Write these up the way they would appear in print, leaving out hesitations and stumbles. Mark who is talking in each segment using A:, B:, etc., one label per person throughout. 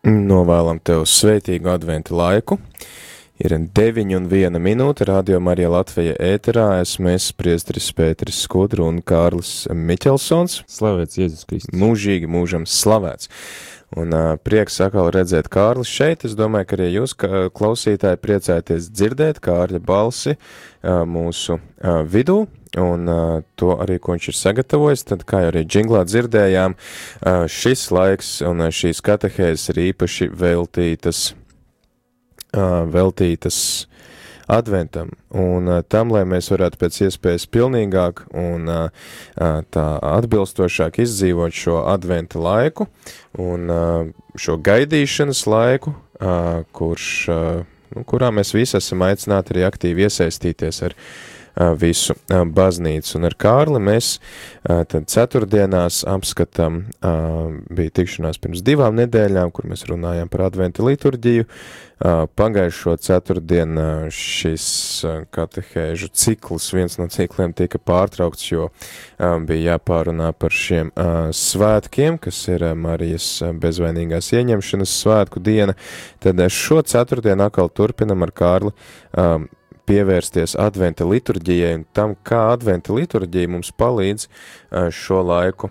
A: Novēlam tev sveitīgu adventu laiku. Ir 9:01 Radio Marija Latvija ēterā. Esmu es, priesteris Pēteris Skudra un Kārlis Miķelsons.
B: Slavēts Jēzus Kristus.
A: Mūžīgi mūžam slavēts. Un prieks atkal redzēt Kārli šeit. Es domāju, ka arī jūs, klausītāji, priecājaties dzirdēt Kārļa balsi mūsu vidū. Un to arī, ko viņš ir sagatavojis, tad, kā arī džinglā dzirdējām, šis laiks un šīs katehēzes ir īpaši veltītas adventam un tam, lai mēs varētu pēc iespējas pilnīgāk un tā atbilstošāk izdzīvot šo adventa laiku un šo gaidīšanas laiku, kurā mēs visi esam aicināti arī aktīvi iesaistīties ar visu baznīcu. Un ar Kārli mēs tad ceturtdienās apskatām, bija tikšanās pirms 2 nedēļām, kur mēs runājām par adventa liturģiju. Pagājušo ceturtdienu šis katehēžu cikls, viens no cikliem tika pārtraukts, jo bija jāpārunā par šiem svētkiem, kas ir Marijas bezvainīgās ieņemšanas svētku diena. Tad šo ceturtdienu atkal turpinam ar Kārli pievērsties adventa liturģijai un tam, kā adventa liturģija mums palīdz šo laiku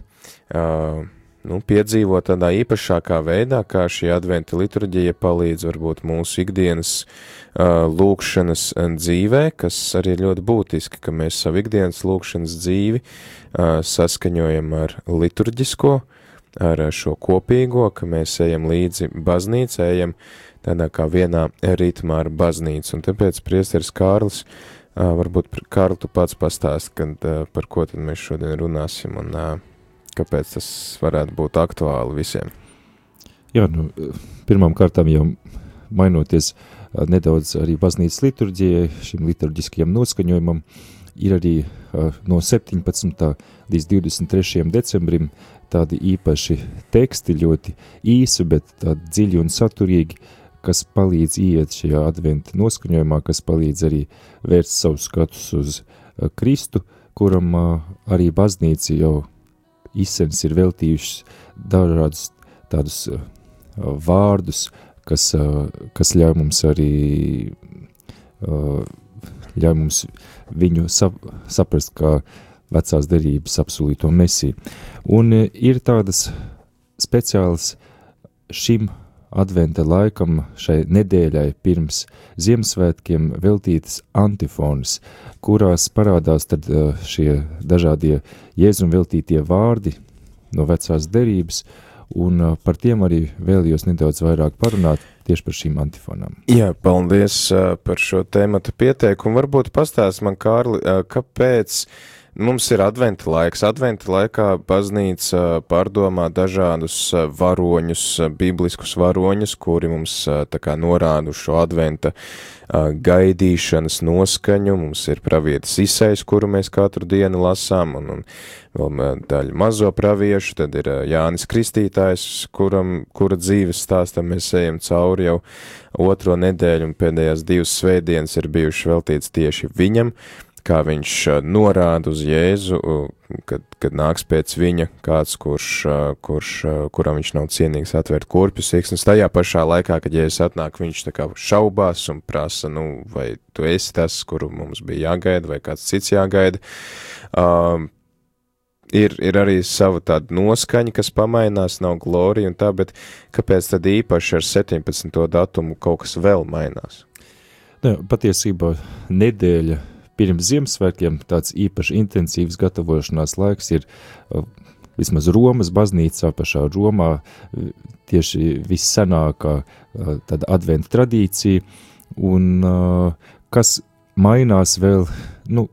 A: piedzīvot tādā īpašākā veidā, kā šī adventa liturģija palīdz varbūt mūsu ikdienas lūkšanas dzīvē, kas arī ir ļoti būtiski, ka mēs savu ikdienas lūkšanas dzīvi saskaņojam ar liturģisko, ar šo kopīgo, ka mēs ejam līdzi baznīcai, ejam tādā kā vienā ritmā ar baznīcu. Un tāpēc priesteris Kārlis, varbūt Kārli tu pats pastāst, par ko tad mēs šodien runāsim un kāpēc tas varētu būt aktuāli visiem.
B: Jā, pirmām kārtām jau mainoties nedaudz arī baznīcas liturģijai, šim liturģiskajam noskaņojumam, ir arī no 17. līdz 23. decembrim tādi īpaši teksti, ļoti īsi, bet tādi dziļi un saturīgi, kas palīdz iet šajā adventa noskaņojumā, kas palīdz arī vērst savus skatus uz Kristu, kuram arī baznīca jau izsens ir veltījušas dažādus tādus vārdus, kas ļauj mums arī ļauj mums viņu saprast kā vecās derības apsolīto mesiju. Un ir tādas speciālas šim adventa laikam, šai nedēļai pirms Ziemassvētkiem veltītas antifonas, kurās parādās tad šie dažādie Jēzum veltītie vārdi no vecās derības, un par tiem arī vēlējos nedaudz vairāk parunāt tieši par šīm antifonām.
A: Jā, paldies par šo tēmatu pieteikumu. Varbūt pastāst man, Kārli, kāpēc mums ir adventa laiks. Adventa laikā baznīca pārdomā dažādus varoņus, bibliskus varoņus, kuri mums tā kā norāda uz šo adventa gaidīšanas noskaņu. Mums ir pravietis Isejs, kuru mēs katru dienu lasām, un vēl daļa mazo praviešu, tad ir Jānis Kristītājs, kura dzīves stāstam mēs ejam cauri jau 2. nedēļu, un pēdējās 2 svētdienas ir bijušas veltīts tieši viņam, kā viņš norāda uz Jēzu, kad nāks pēc viņa kāds, kuram viņš nav cienīgs atvērt kurpju siksnas. Tajā pašā laikā, kad Jēzus atnāk, viņš tā kā šaubās un prasa, vai tu esi tas, kuru mums bija jāgaida, vai kāds cits jāgaida. Ir arī sava tāda noskaņa, kas pamainās, nav glorija un tā, bet kāpēc tad īpaši ar 17. datumu kaut kas vēl mainās?
B: Patiesībā nedēļa pirms Ziemassvētkiem tāds īpaši intensīvs gatavošanās laiks ir vismaz Romas baznīcā, pašā Romā, tieši vissenākā tāda adventa tradīcija, un kas mainās vēl,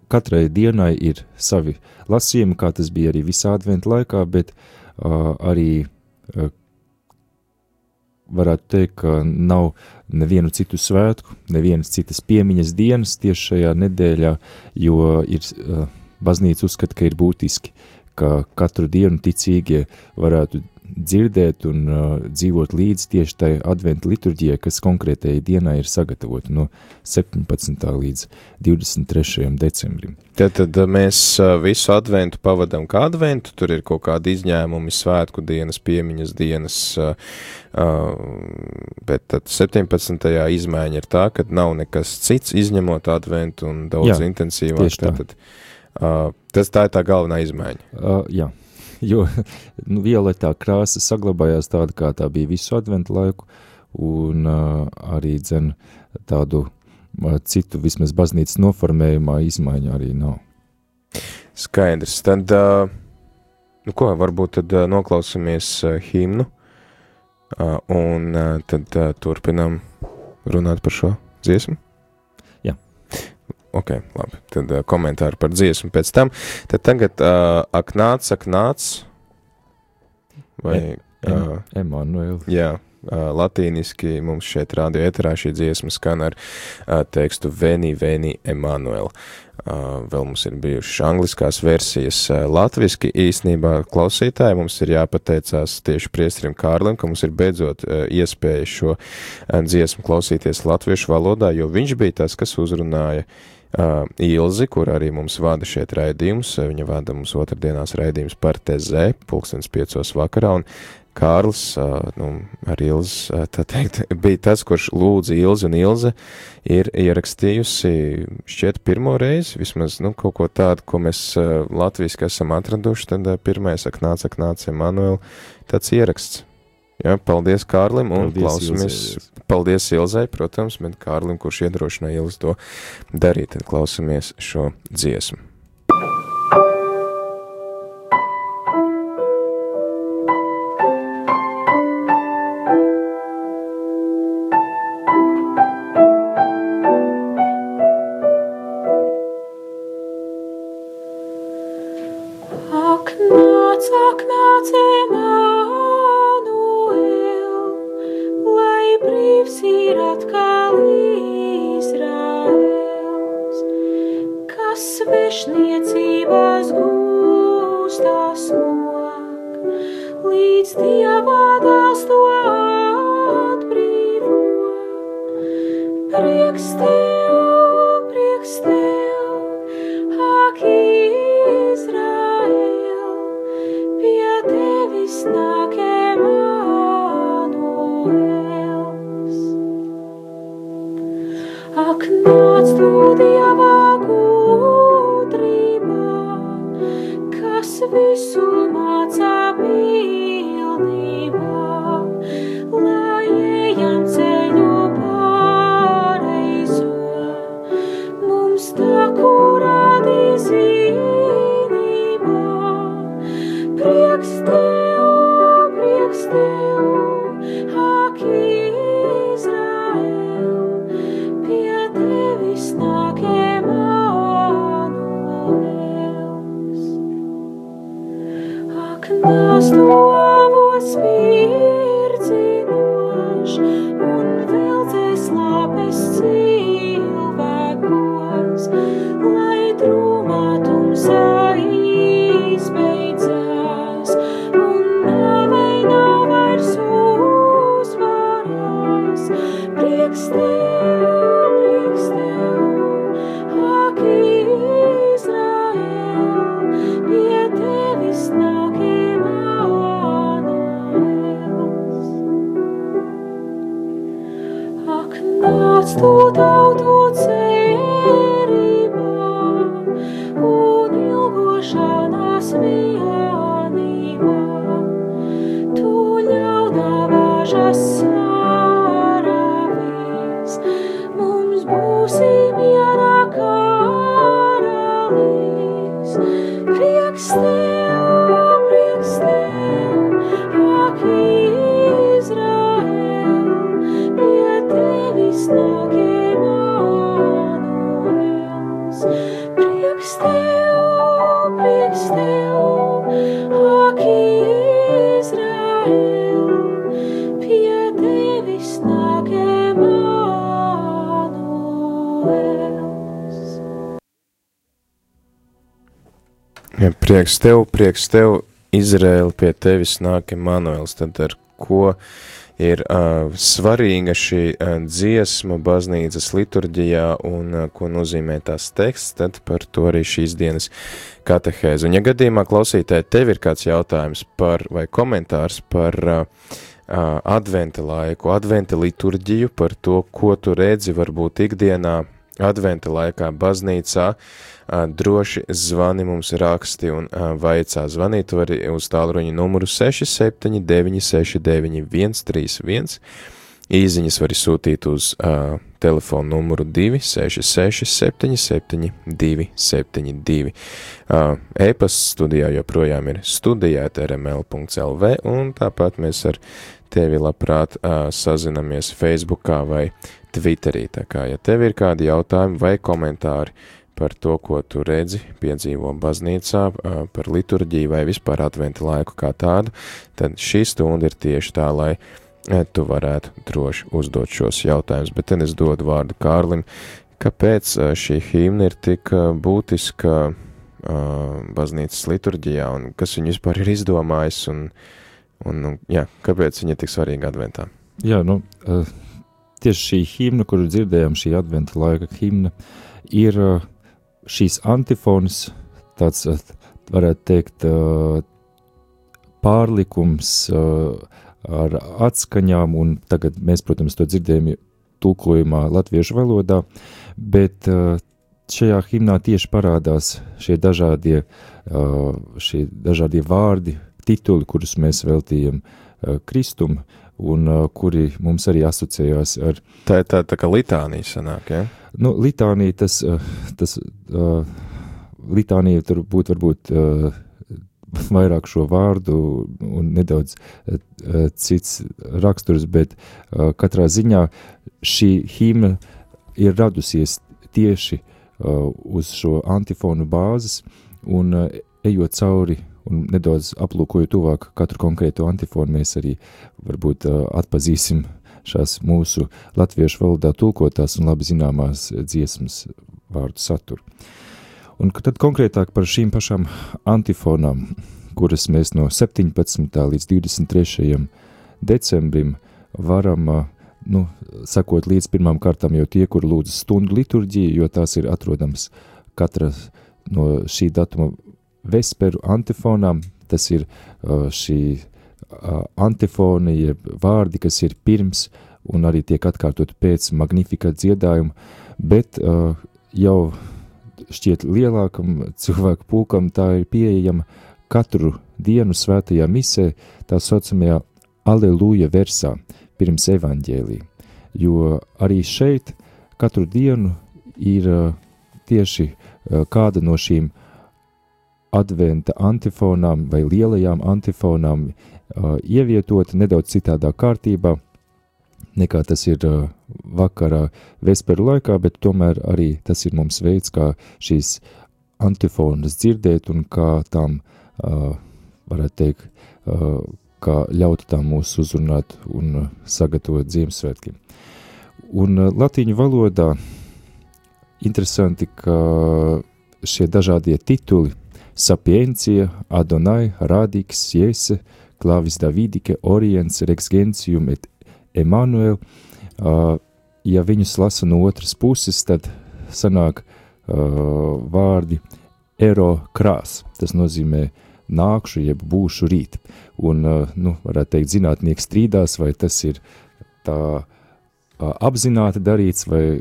B: katrai dienai ir savi lasījumi, kā tas bija arī visā adventa laikā, bet arī varētu teikt, ka nav nevienu citu svētku, nevienas citas piemiņas dienas tieši šajā nedēļā, jo baznīca uzskata, ka ir būtiski, ka katru dienu ticīgie varētu dzirdēt un dzīvot līdz tieši tai adventa liturģijai, kas konkrētajai dienai ir sagatavota no 17. līdz 23. decembrim.
A: Tad mēs visu adventu pavadam kā adventu, tur ir kaut kādi izņēmumi, svētku dienas, piemiņas dienas, bet tad 17. izmaiņa ir tā, ka nav nekas cits izņemot adventu un daudz intensīvāk. Tā ir tā galvenā izmaiņa.
B: Jā. Jo violetā krāsa saglabājās tāda, kā tā bija visu adventu laiku, un arī tādu citu vismaz baznīcas noformējumā izmaiņu arī nav.
A: Skaidrs. Tad, varbūt tad noklausāmies himnu, un tad turpinām runāt par šo dziesmu? Ok, labi. Tad komentāri par dziesmu pēc tam. Tad tagad ak nāc, vai...
B: Emanuel.
A: Jā, latīniski mums šeit radio eterā šī dziesma skan ar tekstu Veni, Veni, Emanuel. Vēl mums ir bijušas angliskās versijas latviski. Īsnībā klausītāji mums ir jāpateicās tieši priesterim Kārlim, ka mums ir beidzot iespēja šo dziesmu klausīties latviešu valodā, jo viņš bija tas, kas uzrunāja Ilzi, kur arī mums vada šeit raidījumus. Viņa vada mums otrdienās raidījumus par TZ, 5:00 vakarā, un Kārlis, ar Ilzi, tā teikt, bija tas, kurš lūdza Ilzi, un Ilze ir ierakstījusi šķiet pirmo reizi, vismaz, kaut ko tādu, ko mēs latviski esam atraduši, tad pirmais ak nāc, Emanuel, tāds ieraksts. Jā, paldies Kārlim un klausamies. Paldies Ilzai, protams, bet Kārlim, kurš iedrošināja Ilzi to darīt, tad klausamies šo dziesmu.
C: Ak nāc, brīvs ir atkal Izraels, kas svešniecībās gūstās mok, līdz Dieva dēls to atbrīvo. Prieks tev, ak Izrael, pie tevis nāk Emanuels. Ak nāc tu Dieva gudrībā, kas visu mācā pilnībā, lai ejam ceļu pareizo, mums tā, kur rādi zinībā. Prieks tev, ak Izrael, pie tevis nāk Emanuels. Ak nāc tu avos virdzinošs un veldzēs lāpes cilvēkos, lai drūmā tumsā izbeidzās un nāvei nav vairs uzvarās. Prieks tev, ak Izrael, pie tevis nāk Emanuels. Ak nāc tu tautu cerībā un ilgošanās vienībā, tu ļaunā vāžas sāravies, mums būsi mierā karalis. Prieks tev, ak Izrael, pie tevis nāk Emanuels. Prieks tev, ak Izrael, pie tevis nāk Emanuels.
A: Ja, prieks tev, Izraēli, pie tevis nāk Emanuels, tad ar ko ir svarīga šī dziesma baznīcas liturģijā un ko nozīmē tās teksts, tad par to arī šīs dienas katehēze. Un ja gadījumā klausītāji tev ir kāds jautājums vai komentārs par adventa laiku, adventa liturģiju, par to, ko tu redzi varbūt ikdienā adventa laikā baznīcā, droši zvani mums raksti un vaicā. Zvanīt var uz tālruņa numuru 679699131. Īziņas var sūtīt uz telefonu numuru 266-77-272. E-pasts studijā joprojām ir studijāt@rml.lv, un tāpat mēs ar tevi labprāt sazinamies Facebookā vai Twitterī. Tā kā, ja tev ir kādi jautājumi vai komentāri par to, ko tu redzi, piedzīvo baznīcā, par liturģiju vai vispār adventa laiku kā tādu, tad šī stunda ir tieši tā, lai tu varētu droši uzdot šos jautājumus. Bet tad es dodu vārdu Kārlim, kāpēc šī himna ir tik būtiska baznīcas liturģijā un kas viņu vispār ir izdomājis un kāpēc viņa ir tik svarīga adventā?
B: Jā, tieši šī himna, kuru dzirdējām, šī adventa laika himna, ir šīs antifonas, tāds, varētu teikt, pārlikums ar atskaņām, un tagad mēs, protams, to dzirdējam tulkojumā latviešu valodā, bet šajā himnā tieši parādās šie dažādie vārdi, tituli, kurus mēs veltījam Kristum, un kuri mums arī asociējās ar...
A: Tā ir tā kā litānija sanāk, ja?
B: Litānija, litānija tur būtu varbūt vairāk šo vārdu un nedaudz cits raksturs, bet katrā ziņā šī himna ir radusies tieši uz šo antifonu bāzes, un ejot cauri un nedaudz aplūkojot tuvāk katru konkrēto antifonu, mēs arī varbūt atpazīsim šās mūsu latviešu valodā tulkotās un labi zināmās dziesmas vārdu saturu. Un tad konkrētāk par šīm pašām antifonām, kuras mēs no 17. līdz 23. decembrim varam, sakot līdz pirmām kārtām jau tie, kur lūdz stundu liturģiju, jo tās ir atrodams katra no šī datuma vesperu antifonām. Tas ir šī antifona, jeb vārdi, kas ir pirms un arī tiek atkārtot pēc Magnificat dziedājuma, bet jau šķiet lielākam cilvēku pulkam tā ir pieejama katru dienu svētajā misē, tā saucamajā Aleluja versā, pirms evaņģēlija. Jo arī šeit katru dienu ir tieši kāda no šīm adventa antifonām vai lielajām antifonām ievietota nedaudz citādā kārtībā, nekā tas ir vakarā vesperu laikā, bet tomēr arī tas ir mums veids, kā šīs antifonas dzirdēt un kā tām, varētu teikt, kā ļaut tām mūs uzrunāt un sagatavot Ziemassvētkiem. Un latīņu valodā interesanti, ka šie dažādie tituli Sapientia, Adonai, Radix, Jese, Clavis Davidike, Oriens, Rex Gentium et Emanuel, ja viņus lasa no otras puses, tad sanāk vārdi ero krās, tas nozīmē nākšu, jeb būšu rīt. Un, varētu teikt, zinātnieki strīdās, vai tas ir tā apzināti darīts, vai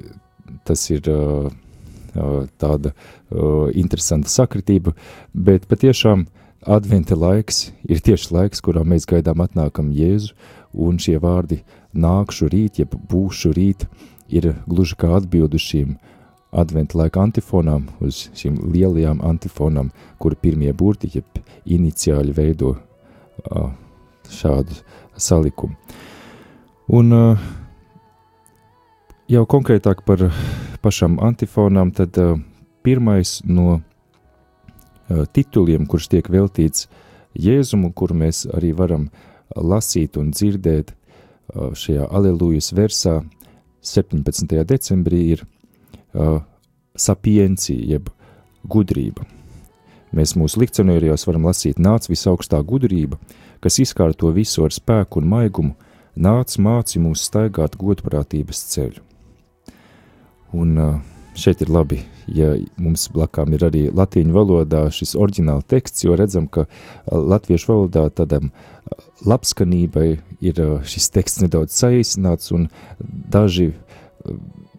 B: tas ir tāda interesanta sakritība, bet patiešām adventa laiks ir tieši laiks, kurā mēs gaidām atnākam Jēzu, un šie vārdi nākšu rīt, jeb būšu rīt, ir gluži kā atbildu šīm adventa laika antifonām, uz šīm lielajām antifonām, kura pirmie burti, jeb iniciāļi veido šādu salikumu. Un jau konkrētāk par pašām antifonām, tad pirmais no tituliem, kurš tiek veltīts Jēzumu, kuru mēs arī varam lasīt un dzirdēt šajā Alelujas versā 17. decembrī, ir sapiencija, jeb gudrība. Mēs mūsu lekcionērijos varam lasīt: nāc visaugstā gudrība, kas izkārto visu ar spēku un maigumu, nāc māci mūs staigāt godprātības ceļu. Un šeit ir labi, ja mums blakām ir arī latīņu valodā šis oriģināla teksts, jo redzam, ka latviešu valodā tādam labskanībai ir šis teksts nedaudz saīsināts, un daži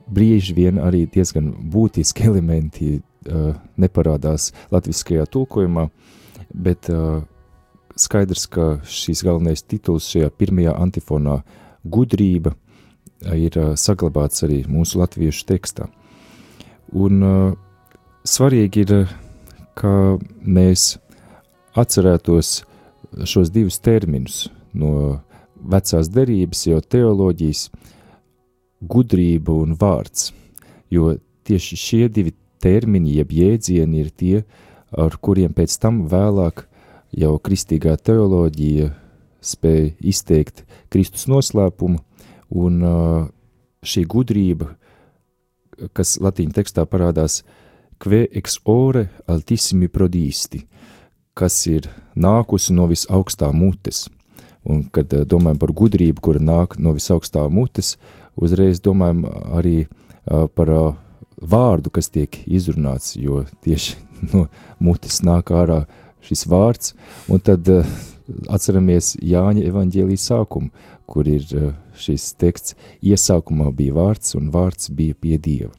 B: brīži vien arī diezgan būtiski elementi neparādās latviskajā tulkojumā, bet skaidrs, ka šīs galvenais tituls šajā pirmajā antifonā gudrība ir saglabāts arī mūsu latviešu tekstā. Un svarīgi ir, ka mēs atcerētos šos divus terminus no vecās derības, jau teoloģijas, gudrība un vārds, jo tieši šie divi termini, jeb jēdzieni ir tie, ar kuriem pēc tam vēlāk jau kristīgā teoloģija spēja izteikt Kristus noslēpumu, un šī gudrība, kas latīņu tekstā parādās que ex ore altissimi prodisti, kas ir nākusi no visaugstā mutes. Un, kad domājam par gudrību, kura nāk no visaugstā mutes, uzreiz domājam arī par vārdu, kas tiek izrunāts, jo tieši no mutes nāk ārā šis vārds, un tad atceramies Jāņa evaņģēlija sākumu, kur ir šis teksts: iesākumā bija vārds, un vārds bija pie Dieva.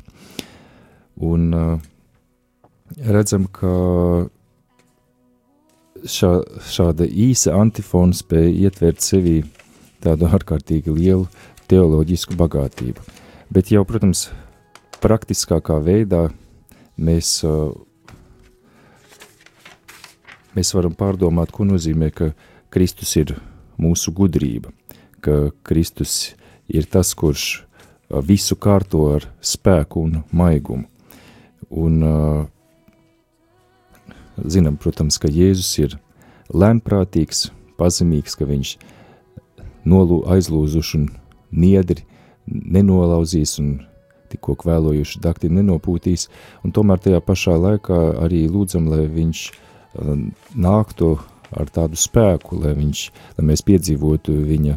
B: Un redzam, ka šāda īsa antifona spēja ietvert sevī tādu ārkārtīgi lielu teoloģisku bagātību. Bet jau, protams, praktiskākā veidā mēs varam pārdomāt, ko nozīmē, ka Kristus ir mūsu gudrība, ka Kristus ir tas, kurš visu kārto ar spēku un maigumu. Un zinām, protams, ka Jēzus ir lēnprātīgs, pazemīgs, ka viņš aizlūzuši un niedri nenolauzīs un tikko kvēlojuši dakti nenopūtīs, un tomēr tajā pašā laikā arī lūdzam, lai viņš nāktu ar tādu spēku, lai mēs piedzīvotu viņa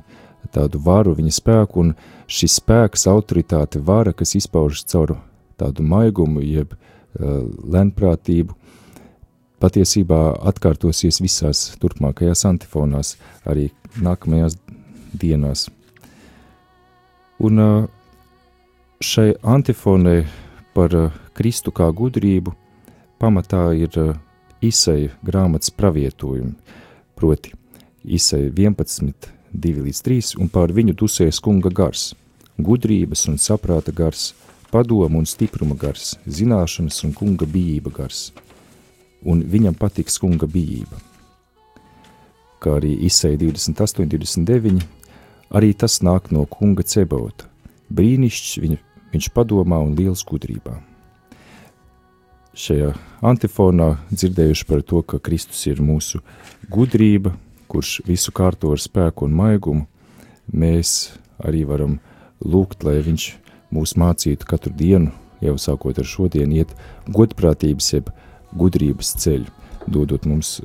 B: tādu varu, viņa spēku, un šis spēks, autoritāte, vara, kas izpaužas caur tādu maigumu, jeb lēnprātību, patiesībā atkārtosies visās turpmākajās antifonās, arī nākamajās dienās. Un šai antifonai par Kristu kā gudrību pamatā ir Isaija grāmatas pravietojumi, proti Isaija 11, 2-3, un pār viņu dusējas kunga gars, gudrības un saprāta gars, padomu un stipruma gars, zināšanas un kunga bijība gars, un viņam patiks kunga bijība. Kā arī Isaija 28, 29, arī tas nāk no kunga Cebaota, brīnišķs viņš padomā un liels gudrībā. Šajā antifonā dzirdējuši par to, ka Kristus ir mūsu gudrība, kurš visu kārto ar spēku un maigumu, mēs arī varam lūgt, lai viņš mūs mācītu katru dienu, jau sākot ar šodien, iet godprātības jeb gudrības ceļu, dodot mums.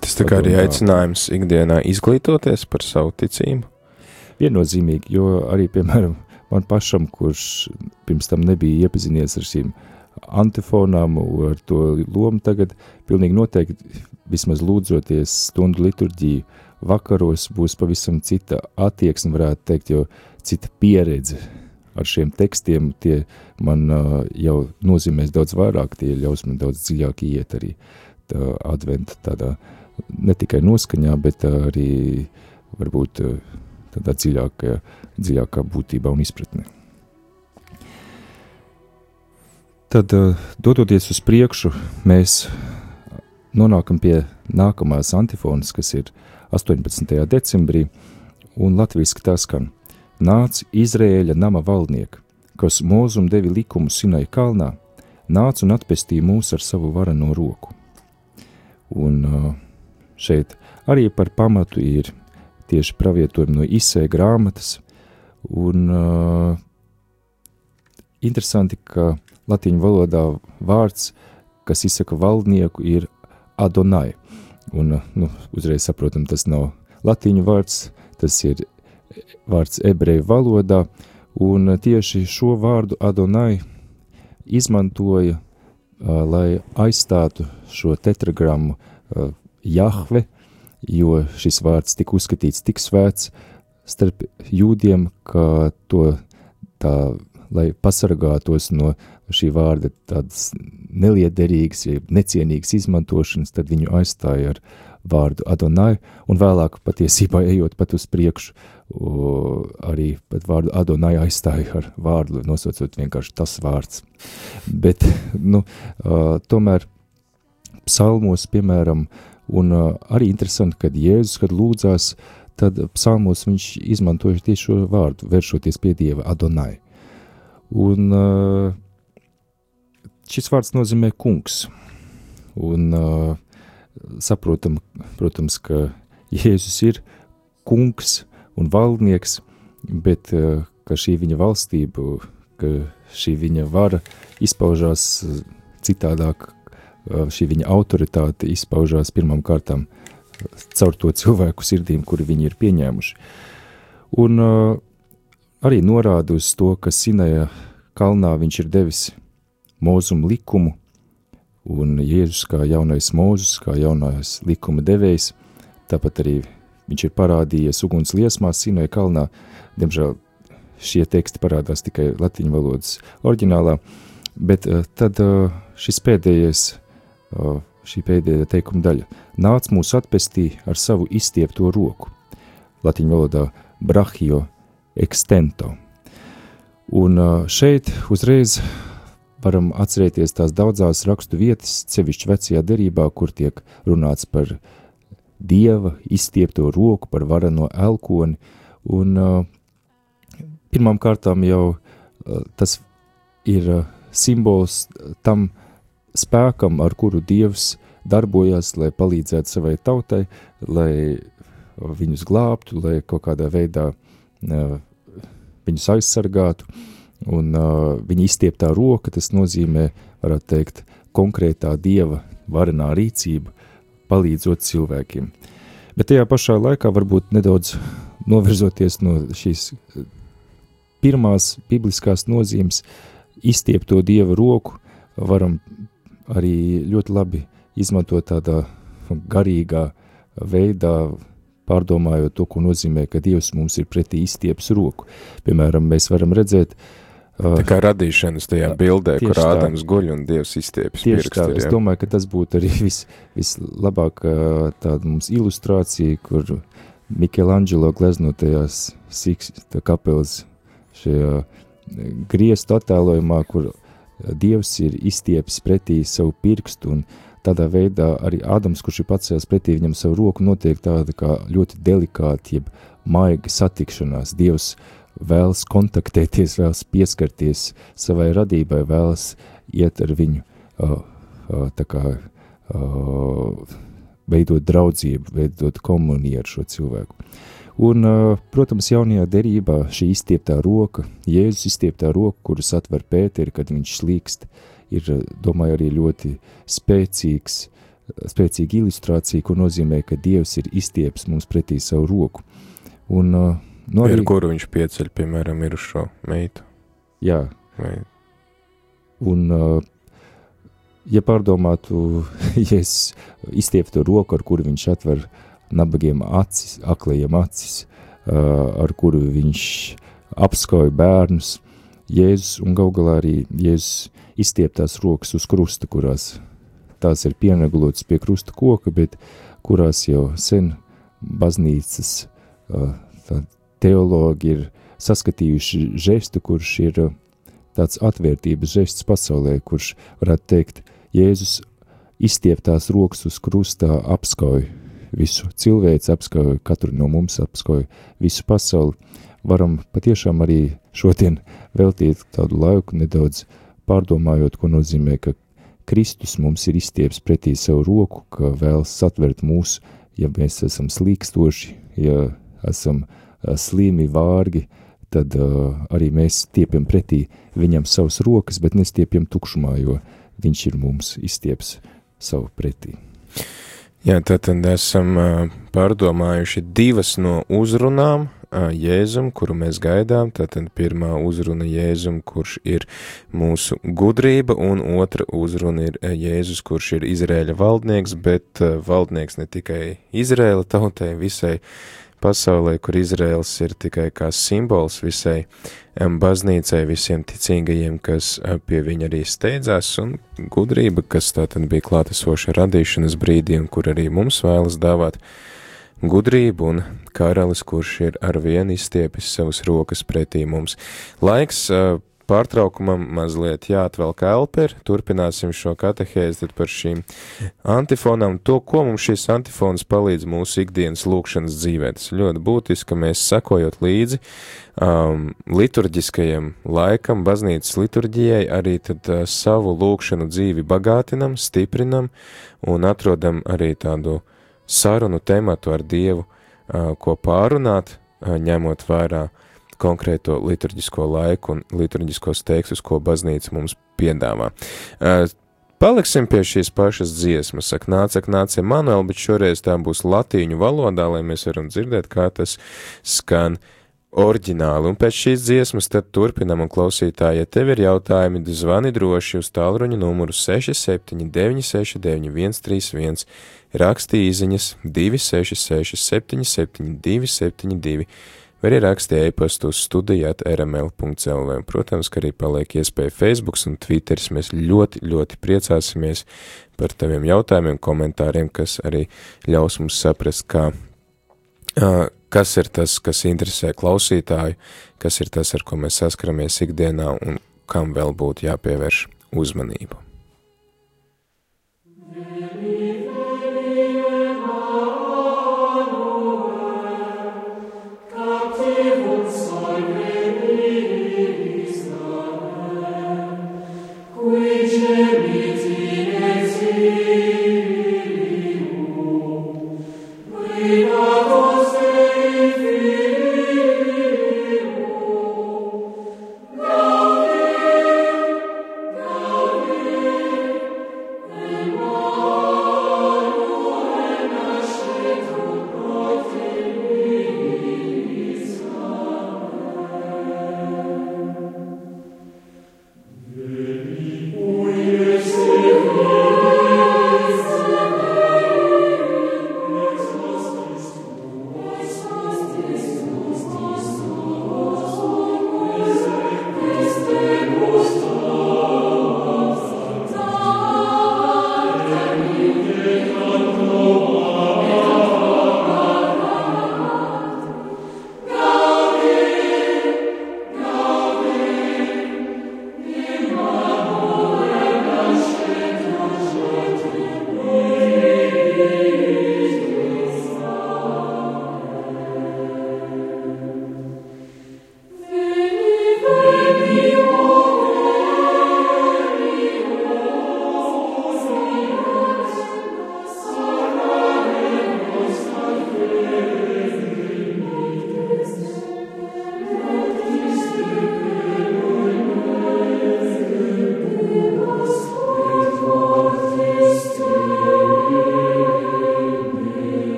A: Tas tā kā arī aicinājums ikdienā izglītoties par savu ticību?
B: Viennozīmīgi, jo arī, piemēram, man pašam, kurš pirms tam nebija iepazinies ar šīm antifonām, ar to lomu tagad, pilnīgi noteikti, vismaz lūdzoties stundu liturģiju vakaros, būs pavisam cita attieksme, varētu teikt, jo cita pieredze ar šiem tekstiem, tie man jau nozīmēs daudz vairāk, tie ļaus man daudz dziļāk iet arī tā adventa tādā, ne tikai noskaņā, bet arī varbūt tādā dziļākā būtībā un izpratnē. Tad, dodoties uz priekšu, mēs nonākam pie nākamās antifonas, kas ir 18. decembrī, un latviski tā skan: nāc Izraēļa nama valdnieka, kas mūzum devi likumu Sinai kalnā, nāc un atpestī mūs ar savu varano roku. Un šeit arī par pamatu ir tieši pravietojumi no Isaija grāmatas, un interesanti, ka latīņu valodā vārds, kas izsaka valdnieku, ir Adonai. Un, uzreiz saprotam, tas nav latīņu vārds, tas ir vārds ebreju valodā, un tieši šo vārdu Adonai izmantoja, lai aizstātu šo tetragrammu Jahve, jo šis vārds tika uzskatīts tik svēts starp jūdiem, ka to lai pasargātos no šī vārda tādas neliederīgas, necienīgas izmantošanas, tad viņu aizstāja ar vārdu Adonai, un vēlāk patiesībā ejot pat uz priekšu, arī pat vārdu Adonai aizstāja ar vārdu, nosaucot vienkārši tas vārds. Bet, tomēr psalmos, piemēram, un arī interesanti, kad Jēzus, kad lūdzās, tad psalmos viņš izmantoja tieši šo vārdu, vēršoties pie Dieva Adonai. Un šis vārds nozīmē kungs. Un saprotam, protams, ka Jēzus ir kungs un valdnieks, bet ka šī viņa valstība, ka šī viņa vara izpaužās citādāk, šī viņa autoritāte izpaužās pirmām kārtām caur to cilvēku sirdīm, kuri viņi ir pieņēmuši. Un arī norāda uz to, ka Sinaja kalnā viņš ir devis Mūzuma likumu, un Jēzus kā jaunais Mūzes, kā jaunais likuma devējs, tāpat arī viņš ir parādījies uguns liesmās Sinaja kalnā. Diemžēl šie teksti parādās tikai latīņu valodas oriģinālā, bet tad šī pēdējā teikuma daļa. Nāc mūs atpestī ar savu izstiepto roku. Latīņu valodā brahio extento. Un šeit uzreiz varam atcerēties tās daudzās rakstu vietas, sevišķi vecajā derībā, kur tiek runāts par Dieva izstiepto roku, par vareno elkoni. Un pirmām kārtām jau tas ir simbols tam spēkam, ar kuru Dievs darbojās, lai palīdzētu savai tautai, lai viņus glābtu, lai kaut kādā veidā viņus aizsargātu, un viņa izstieptā roka, tas nozīmē, varētu teikt, konkrētā Dieva varenā rīcība, palīdzot cilvēkiem. Bet tajā pašā laikā varbūt nedaudz novirzoties no šīs pirmās bibliskās nozīmes izstiepto Dieva roku, varam arī ļoti labi izmantot tādā garīgā veidā, pārdomājot to, ko nozīmē, ka Dievs mums ir pretī izstieps roku. Piemēram, mēs varam redzēt
A: tā kā radīšanas tajā bildē, kur Ādams guļ un Dievs izstieps pirkstu.
B: Tieši tā, es domāju, ka tas būtu arī vislabāk tāda mums ilustrācija, kur Michelangelo gleznotajās kapelas šajā griestu attēlojumā, kur Dievs ir izstieps pretī savu pirkstu, un tādā veidā arī Ādams, kurš ir pacēlis pretī viņam savu roku, notiek tāda kā ļoti delikāta, jeb maiga satikšanās. Dievs vēlas kontaktēties, vēlas pieskarties savai radībai, vēlas iet ar viņu, veidot draudzību, veidot komuniju ar šo cilvēku. Un, protams, jaunajā derībā šī izstieptā roka, Jēzus izstieptā roka, kuras atver Pēteri, kad viņš slīkst, ir, domāju, arī ļoti spēcīga ilustrācija, ko nozīmē, ka Dievs ir izstieps mums pretī savu roku. Un,
A: arī, kuru viņš pieceļ, piemēram, mirušo meitu.
B: Jā.
A: Vai...
B: Un, ja pārdomātu Jēzus izstiepto roku, ar kuru viņš atver nabagiem acis, aklajiem acis, ar kuru viņš apskauj bērnus, Jēzus un galā arī Jēzus izstieptās rokas uz krusta, kurās tās ir pienaglotas pie krusta koka, bet kurās jau sen baznīcas teologi ir saskatījuši žestu, kurš ir tāds atvērtības žests pasaulē, kurš, varētu teikt, Jēzus izstieptās rokas uz krustā apskauj visu cilvēci, apskauj katru no mums, apskauj visu pasauli. Varam patiešām arī šodien veltīt tādu laiku nedaudz pārdomājot, ko nozīmē, ka Kristus mums ir izstieps pretī savu roku, ka vēlas satvert mūs, ja mēs esam slīkstoši, ja esam slīmi, vārgi, tad arī mēs stiepjam pretī viņam savas rokas, bet nestiepjam tukšumā, jo viņš ir mums izstieps savu pretī.
A: Jā, tātad esam pārdomājuši divas no uzrunām Jēzum, kuru mēs gaidām. Tātad pirmā uzruna Jēzum, kurš ir mūsu gudrība, un otra uzruna ir Jēzus, kurš ir Izraēļa valdnieks, bet valdnieks ne tikai Izraēla tautai, visai pasaulē, kur Izraēls ir tikai kā simbols visai baznīcai, visiem ticīgajiem, kas pie viņa arī steidzās, un gudrība, kas tātad bija klātesoša radīšanas brīdī, un kur arī mums vēlas dāvāt gudrību, un karalis, kurš ir arvien izstiepis savas rokas pretī mums. Laiks pārtraukumam mazliet jāatvelk elperi, turpināsim šo katehēzi tad par šīm antifonām, to, ko mums šīs antifonas palīdz mūsu ikdienas lūkšanas dzīvē. Tas ir ļoti būtiski, ka mēs sekojot līdzi liturģiskajam laikam, baznīcas liturģijai, arī tad savu lūkšanu dzīvi bagātinam, stiprinam un atrodam arī tādu sarunu tematu ar Dievu, ko pārunāt, ņemot vērā konkrēto liturģisko laiku un liturģiskos tekstus, ko baznīca mums piedāvā. Paliksim pie šīs pašas dziesmas, ak nāc, Emanuel, bet šoreiz tā būs latīņu valodā, lai mēs varam dzirdēt, kā tas skan oriģināli. Un pēc šīs dziesmas tad turpinam, un klausītāji, ja tev ir jautājumi, zvani droši uz tālruņa numuru 67 969 131, raksti īziņas 266 77 272, vai arī raksti e-pastu uz studija@rml.lv. Protams, ka arī paliek iespēja Facebooks un Twitteris. Mēs ļoti, ļoti priecāsimies par taviem jautājumiem, komentāriem, kas arī ļaus mums saprast, kas ir tas, kas interesē klausītāju, kas ir tas, ar ko mēs saskaramies ikdienā un kam vēl būtu jāpievērš uzmanību.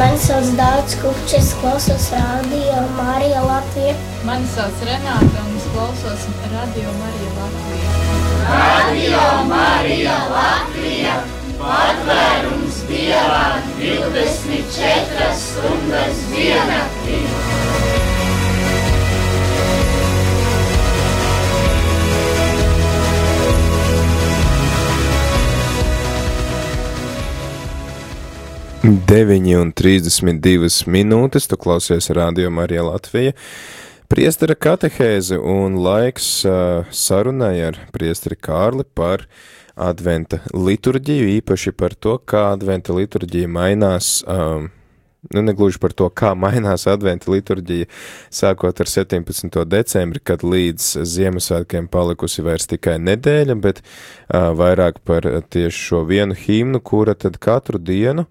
D: Mani sauc Dārts Kupčs, es klausos Radio Marija Latvija.
E: Mani sauc Renāta un es klausos Radio Marija Latvija.
F: Radio Marija Latvija, patvērums Dievam 24 stundas diennaktī.
A: Deviņi un 32 minūtes, tu klausies Radio Marija Latvija. Priestera katehēze un laiks sarunai ar priesteri Kārli par adventa liturģiju, īpaši par to, kā adventa liturģija mainās, negluži par to, kā mainās adventa liturģija, sākot ar 17. decembri, kad līdz Ziemassvētkiem palikusi vairs tikai nedēļa, bet vairāk par tieši šo vienu himnu, kura tad katru dienu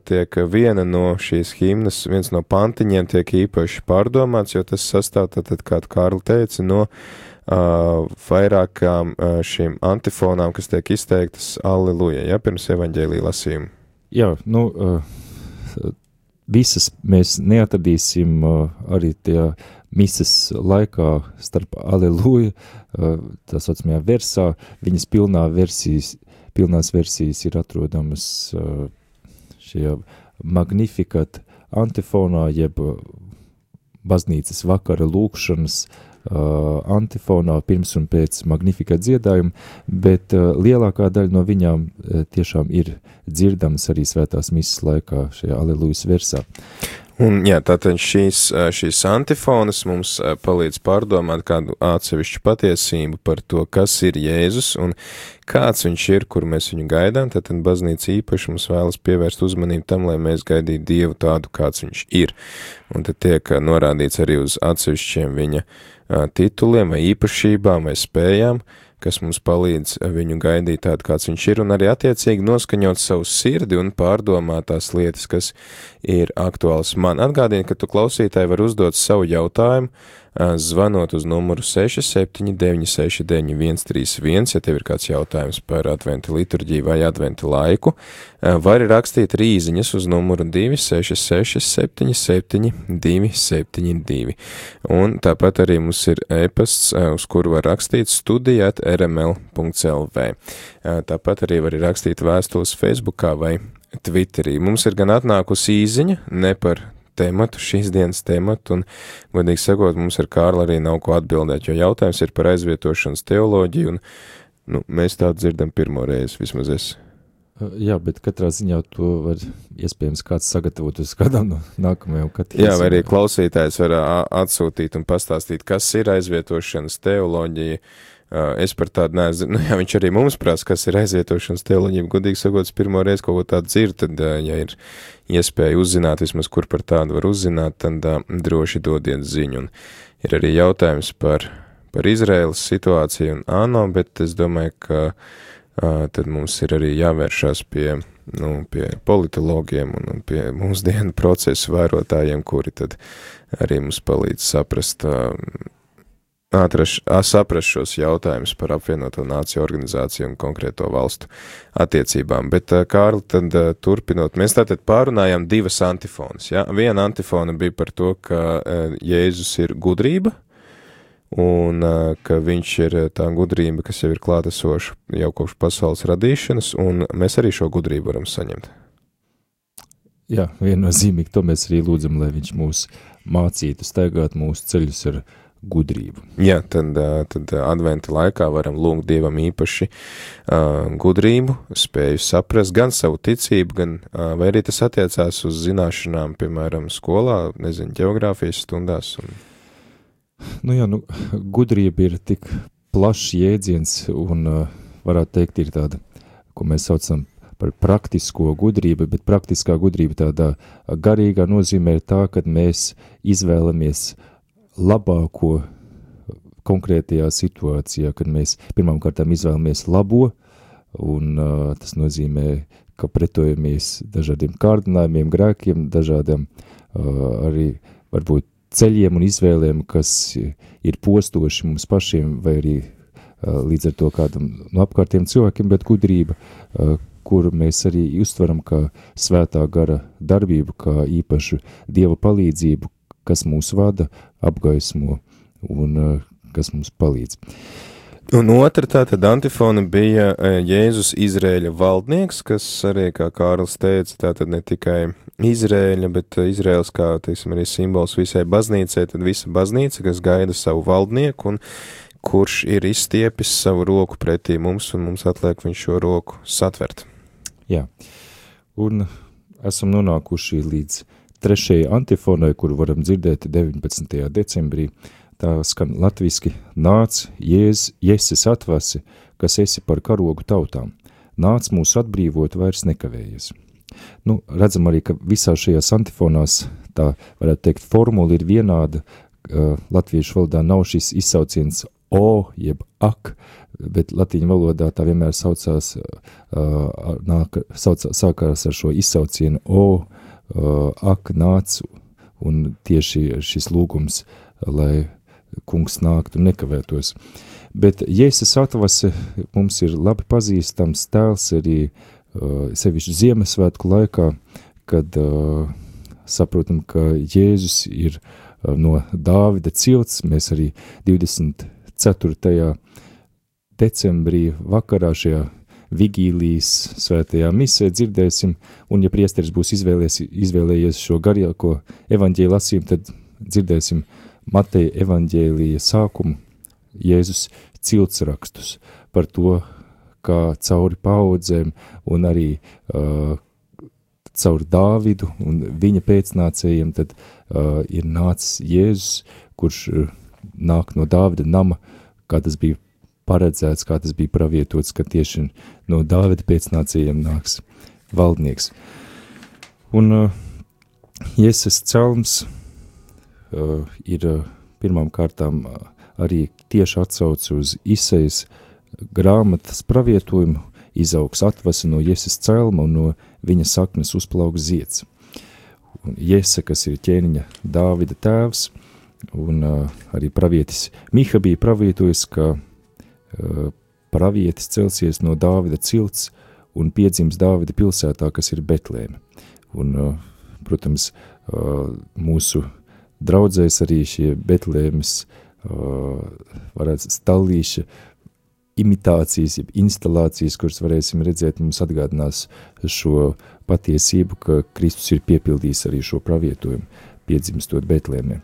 A: tiek viena no šīs himnas, viens no pantiņiem tiek īpaši pārdomāts, jo tas sastāv tātad, kā Kārli teica, no vairākām šīm antifonām, kas tiek izteiktas Alleluja, ja, pirms evaņģēlija lasījuma.
B: Jā, visas mēs neatradīsim arī tajā mises laikā starp Alleluja, tā saucamajā versā, viņas pilnās versijas ir atrodamas šajā Magnificat antifonā, jeb baznīcas vakara lūkšanas antifonā pirms un pēc Magnificat dziedājuma, bet lielākā daļa no viņām tiešām ir dzirdamas arī svētās mises laikā šajā Allelujas versā.
A: Un, jā, tātad šīs antifonas mums palīdz pārdomāt kādu atsevišķu patiesību par to, kas ir Jēzus un kāds viņš ir, kur mēs viņu gaidām. Tātad baznīca īpaši mums vēlas pievērst uzmanību tam, lai mēs gaidītu Dievu tādu, kāds viņš ir. Un tad tiek norādīts arī uz atsevišķiem viņa tituliem vai īpašībām vai spējām, kas mums palīdz viņu gaidīt tādu, kāds viņš ir, un arī attiecīgi noskaņot savu sirdi un pārdomāt tās lietas, kas ir aktuāls man. Atgādini, ka tu klausītāji var uzdot savu jautājumu, zvanot uz numuru 679699131, ja tev ir kāds jautājums par adventa liturģiju vai adventa laiku, var rakstīt rīziņas uz numuru 266-77-272. Un tāpat arī mums ir e-pasts, uz kuru var rakstīt studija@rml.lv. Tāpat arī var rakstīt vēstules Facebookā vai Twitterī. Mums ir gan atnākusi īziņa, ne par tēmatu, šīs dienas tēmatu, un, godīgi sakot, mums ar Kārli arī nav ko atbildēt, jo jautājums ir par aizvietošanas teoloģiju, un mēs tādu dzirdam pirmo reizi, vismaz es.
B: Jā, bet katrā ziņā to var iespējams kāds sagatavot uz kādām no nākamajām katehēzēm. Jā,
A: vai arī klausītājs var atsūtīt un pastāstīt, kas ir aizvietošanas teoloģija. Es par tādu nezinu, jā, viņš arī mums prasa, kas ir aizvietošanas teoloģija, godīgi sakot, pirmo reizi kaut ko tādu dzird, tad, ja ir iespēja uzzināt, vismaz kur par tādu var uzzināt, tad droši dodiet ziņu. Un ir arī jautājums par Izraēlas situāciju un ANO, bet es domāju, ka tad mums ir arī jāvēršās pie politologiem un pie mūsdienu procesu vērotājiem, kuri tad arī mums palīdz saprast šos jautājumus par apvienoto nāciju organizāciju un konkrēto valstu attiecībām. Bet, Kārli, tad turpinot, mēs tātad pārunājām divas antifonas. Ja? Viena antifona bija par to, ka Jēzus ir gudrība, un ka viņš ir tā gudrība, kas jau ir klātesoša jau kopš pasaules radīšanas, un mēs arī šo gudrību varam saņemt.
B: Jā, viennozīmīgi, to mēs arī lūdzam, lai viņš mūs mācītu staigāt mūsu ceļus ar gudrību.
A: Jā, tad adventa laikā varam lūgt Dievam īpaši gudrību, spēju saprast gan savu ticību, gan, vai arī tas attiecās uz zināšanām, piemēram, skolā, ģeogrāfijas stundās.
B: Gudrība ir tik plašs jēdziens un varētu teikt ir tāda, ko mēs saucam par praktisko gudrību, bet praktiskā gudrība tādā garīgā nozīmē ir tā, kad mēs izvēlamies labāko konkrētajā situācijā, kad mēs pirmām kārtām izvēlamies labo, un tas nozīmē, ka pretojamies dažādiem kārdinājumiem, grēkiem, dažādiem arī varbūt ceļiem un izvēlēm, kas ir postoši mums pašiem, vai arī līdz ar to kādam no apkārtiem cilvēkiem, bet gudrība, kuru mēs arī uztveram kā svētā gara darbību, kā īpašu Dieva palīdzību, kas mūs vada, apgaismo un kas mums palīdz.
A: Un otra tātad antifona bija Jēzus Izrēļa valdnieks, kas arī, kā Kārlis teica, tātad ne tikai Izrēļa, bet Izrēls kā, arī simbols visai baznīcai, tad visa baznīca, kas gaida savu valdnieku un kurš ir izstiepis savu roku pretī mums, un mums atliek viņš šo roku satvert.
B: Jā, un esam nonākuši līdz 3. antifonai, kuru varam dzirdēt 19. decembrī. Tā skan latviski: nāc, Jēzus atvasi, kas esi par karogu tautām. Nāc mūs atbrīvot, vairs nekavējies. Redzam arī, ka visā šajās antifonās, tā varētu teikt, formula ir vienāda. Latviešu valodā nav šis izsauciens o, jeb ak, bet latīņu valodā tā vienmēr sākās ar šo izsaucienu o, ak, nāc, un tieši šis lūgums, lai kungs nāktu un nekavētos. Bet Jēzus atvase mums ir labi pazīstams tēls arī sevišķi Ziemassvētku laikā, kad saprotam, ka Jēzus ir no Dāvida cilts. Mēs arī 24. decembrī vakarā šajā vigīlijas svētajā misē dzirdēsim, un ja priesteris būs izvēlējies šo garāko evaņģēļu lasījumu, tad dzirdēsim Mateja evaņģēlija sākumu, Jēzus ciltsrakstus par to, kā cauri paudzēm un arī caur Dāvidu un viņa pēcnācējiem tad ir nācis Jēzus, kurš nāk no Dāvida nama, kā tas bija paredzēts, kā tas bija pravietots, ka tieši no Dāvida pēcnācējiem nāks valdnieks. Un Jēzus celms ir pirmām kārtām arī tieši atsauc uz Isaijas grāmatas pravietojumu: izaugs atvasa no Jēzus celma un no viņa saknes uzplauks zieds. Un Jēse, kas ir ķēniņa Dāvida tēvs, un arī pravietis Miha bija pravietojis, ka pravietis celsies no Dāvida cilts un piedzims Dāvida pilsētā, kas ir Betlēme. Un, protams, mūsu draudzēs arī šie Betlēmes varētu stallīša imitācijas, jeb instalācijas, kuras varēsim redzēt, mums atgādinās šo patiesību, ka Kristus ir piepildījis arī šo pravietojumu, piedzimstot Betlēmē.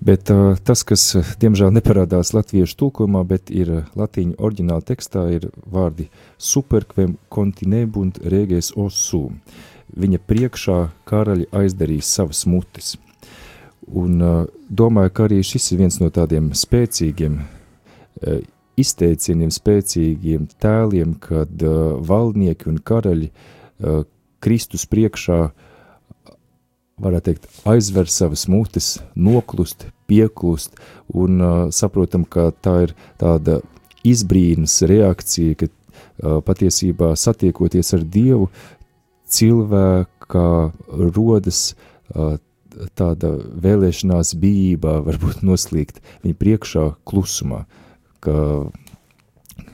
B: Bet tas, kas diemžēl neparādās latviešu tulkojumā, bet ir latīņu oriģināla tekstā, ir vārdi superquem continebunt reges ossum. Viņa priekšā karaļi aizdarīs savas mutes. Un domāju, ka arī šis ir viens no tādiem spēcīgiem izteicieniem, spēcīgiem tēliem, kad valdnieki un karaļi Kristus priekšā, varētu teikt, aizver savas mutes, noklust, pieklust, un saprotam, ka tā ir tāda izbrīnas reakcija, ka patiesībā satiekoties ar Dievu, cilvēkā rodas tāda vēlēšanās bijībā, varbūt noslīgt viņa priekšā klusumā, ka